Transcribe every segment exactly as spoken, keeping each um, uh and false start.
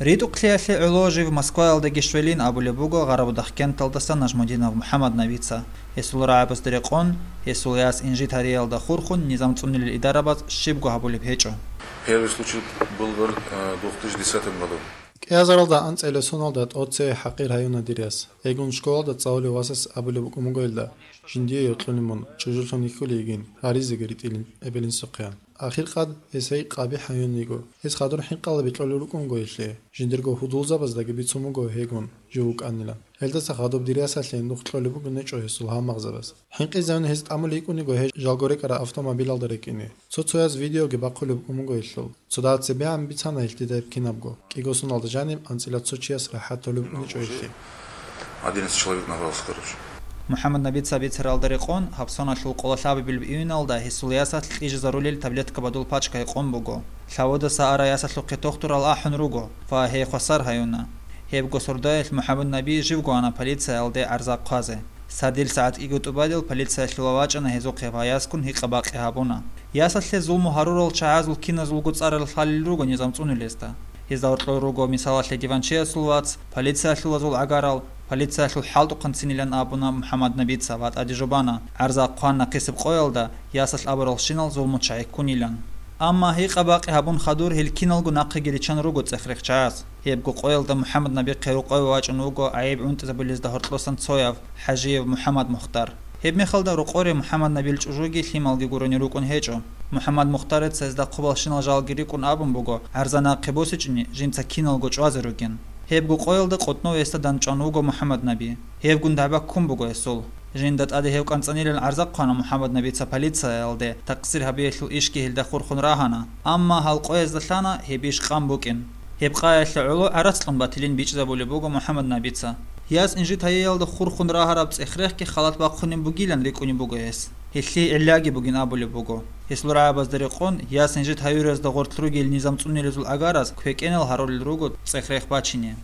РитӀухълъиялъе гӀоло жив Москваялдаги щвелин абулеб буго Гъарабудахъ кенталдаса Нажмудинов МухӀаммаднабица. Гьесул рагӀабазда рекъон, гьесул яс инжит гьариялда хурхун низам цӀунилел идарабаз щибго гьабулеб гьечӀо. Первый случай был в, э, две тысячи десятом году. КӀиазаралда анцӀила соналда тӀоцее ХӀакъир гьаюна дир яс. Гьегун школалда цӀалулев васас абулеб букӀун буго гьелда: «Жиндие йокьулин мун, чӀужулъун йихьулей йигин, гьаризеги ритӀилин эбелинсухъеян». Ахиркъад гьес гьей къабихӀ гьаюн йиго. Гьес хадур хӀинкъалаби кьолел рукӀун буго гьелъие. Жиндирго гьудулзабаздаги бицун буго гьегун жив вукӀанилан. Гьелдаса хадуб дир ясалъе нух кьолеб бугин гьечӀо гьесул гьалмагъзабаз. ХӀинкъизавни гьес тӀамулей йикӀун йиго гьей жалго рекӀараб автомобилалда рекӀине. Цо-цояз видеоги бахъулеб букӀун буго гьелъул. Цо дагьа цебегӀан бицана гьелъ дида гьеб кинабго. КӀиго соналда жаниб анцӀила цо чияс рахӀат толеб букӀинчӀо гьелъие. Одиннадцать человек набрался, короче. МухӀаммаднабица бицаралда рекъон, гьаб соналъул къоло лъабабилеб июналда гьесул ясалъ кьижизарулел таблетка бадул пачка гьекъон буго. Лъаводаса ара ясалъухъе тохтурал ахӀун руго ва гьей хвасар гьаюна. Гьебго сордоялъ МухӀаммаднаби живго ана полициялде гӀарза хъвазе. Сардил сагӀат кӀиго тӀубалил полициялъула вачӀана гьезухъе ва ясгун гьикъа-бакъи гьабуна. Ясалъе зулму гьарурал чагӀазул киназулго цӀарал лъалел руго низам цӀунулезда. Гьезда гьоркьор руго, мисалалъе, диванчиясул вац, полициялъулазул гӀагарал, полициялъул хӀалтӀухъанцинилан абуна МухӀаммаднабица ва тӀаде жубана, гӀарза хъван нахъисеб къоялда, ясалъ абуралщинал зулму чагӀи ккунилан. Амма гьикъа-бакъи гьабун хадур гьел киналго нахъеги риччан руго цӀех-рех чагӀаз. Гьебго къоялда МухӀаммаднабихъе рукъове вачӀун вуго гӀайиб гӀунтӀизабулезда гьоркьосан цояв, ХӀажиев МухӀаммад Мухтар. Гьебмехалда рокъоре МухӀаммаднабил чӀужуги лъималги гурони рукӀун гьечӀо. МухӀаммад Мухтарица гьезда хъубалщинал жалги рикӀкӀун абун буго, гӀарза нахъе босичӀони, жинца киналго чӀвазе ругин. Гьебго къоялда къотӀнов гьесда дандчӀван вуго МухӀаммаднаби. Гьевгун дагӀба ккун буго гьесул. Жинда тӀаде гьев кӀанцӀанилан гӀарза хъвана МухӀаммаднабица полициялде, такъсир гьабиялъул ишги гьелда хурхун рагьана, амма гьал къоязда лъана гьеб иш къан букӀин. Гьеб къаялъе гӀоло гӀарац кьун батилин бичӀчӀизабулеб буго МухӀаммаднабица. Яс инжит гьариялда хурхун рагьараб цӀех-рехги халат бахъунеб бугилан рикӀкӀунеб буго гьес. Гьелъие гӀиллаги бугин абулеб буго. Гьесул рагӀабазда рекъон, яс инжит гьаюразда гъорлъ ругел низам цӀунилезул гӀагараз квекӀенал гьарулел руго цӀех-рех бачине.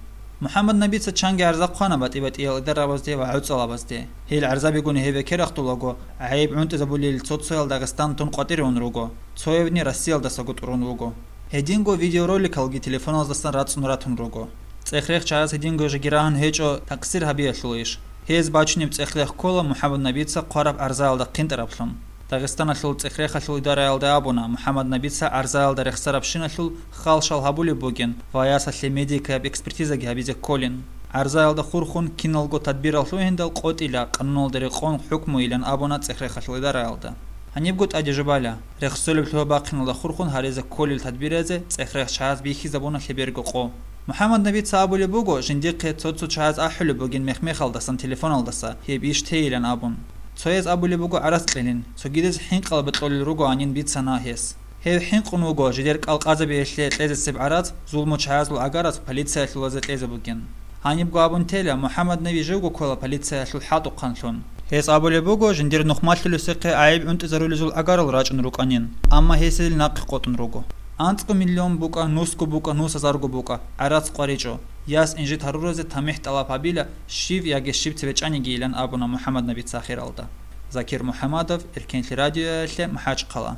МухӀаммаднабица чанги гӀарза хъвана батӀи-батӀиял идарабазде ва гӀуцӀалабазде. Гьел гӀарзабигун гьеб бекерахъулаго, гӀайиб гӀунтӀизабулел цо-цоял Дагъистан тун къватӀире ун руго, цоявни Россиялдасаго тӀурун вуго. Гьединго видеороликалги телефоназдасан рацӀцӀун ратун руго. ЦӀех-рех чагӀаз гьединго жеги рагьун гьечӀо такъсир гьабиялъул иш. Гьез бачунеб цӀех-рех ккола МухӀаммаднабица хъвараб гӀарзаялда хъинтӀараблъун. Дагъистаналъул цӀех-рехалъул идараялда абуна, МухӀаммаднабица гӀарзаялда рехсарабщиналъул халшал гьабулеб бугин ва ясалъе медикаяб экспертизаги гьабизе кколин. ГӀарзаялда хурхун киналго тадбирал лъугьиндал къотӀила, къануналда рекъон хӀукмуйилан абуна цӀех-рехалъул идараялда. Гьанибго тӀаде жубала, рехсолеб лъугьа-бахъиналда хурхун гьаризе кколел тадбиразе цӀех-рех чагӀаз бихьизабуна лъеберго къо. МухӀаммаднабица абулеб буго, жиндихъе цо-цо чагӀаз ахӀулеб бугин мех-мехалдасан телефоналдаса гьеб иш тейилан абун. Цояз абулеб буго гӀарац кьелин, цогидаз хӀинкъалаби кьолел ругоанин бицана гьес. Гьев хӀинкъун вуго жидер кӀалкъазабиялъе кьезесеб гӀарац зулму чагӀазул гӀагараз полициялъулазе кьезе бугин. Гьанибго абун тела, МухӀаммаднаби живго ккола полициялъул хӀалтӀухъанлъун. Гьес абулеб буго, жиндир нухмалъулесехъе гӀайиб гӀунтӀизарулезул гӀагарал рачӀун рукӀанин, амма гьес гьел нахъе къотӀун руго. АнцӀго миллион букӀа, нусго букӀа, нусазарго букӀа, гӀарац къваричӀо, яс инжит гьаруразе тамихӀ тӀалаб гьабила, щив яги щиб цебе чӀанигийилан абуна МухӀаммаднабица ахиралда. Закир МухӀаммадов, Эркенлъи радиоялъе, МахӀачхъала.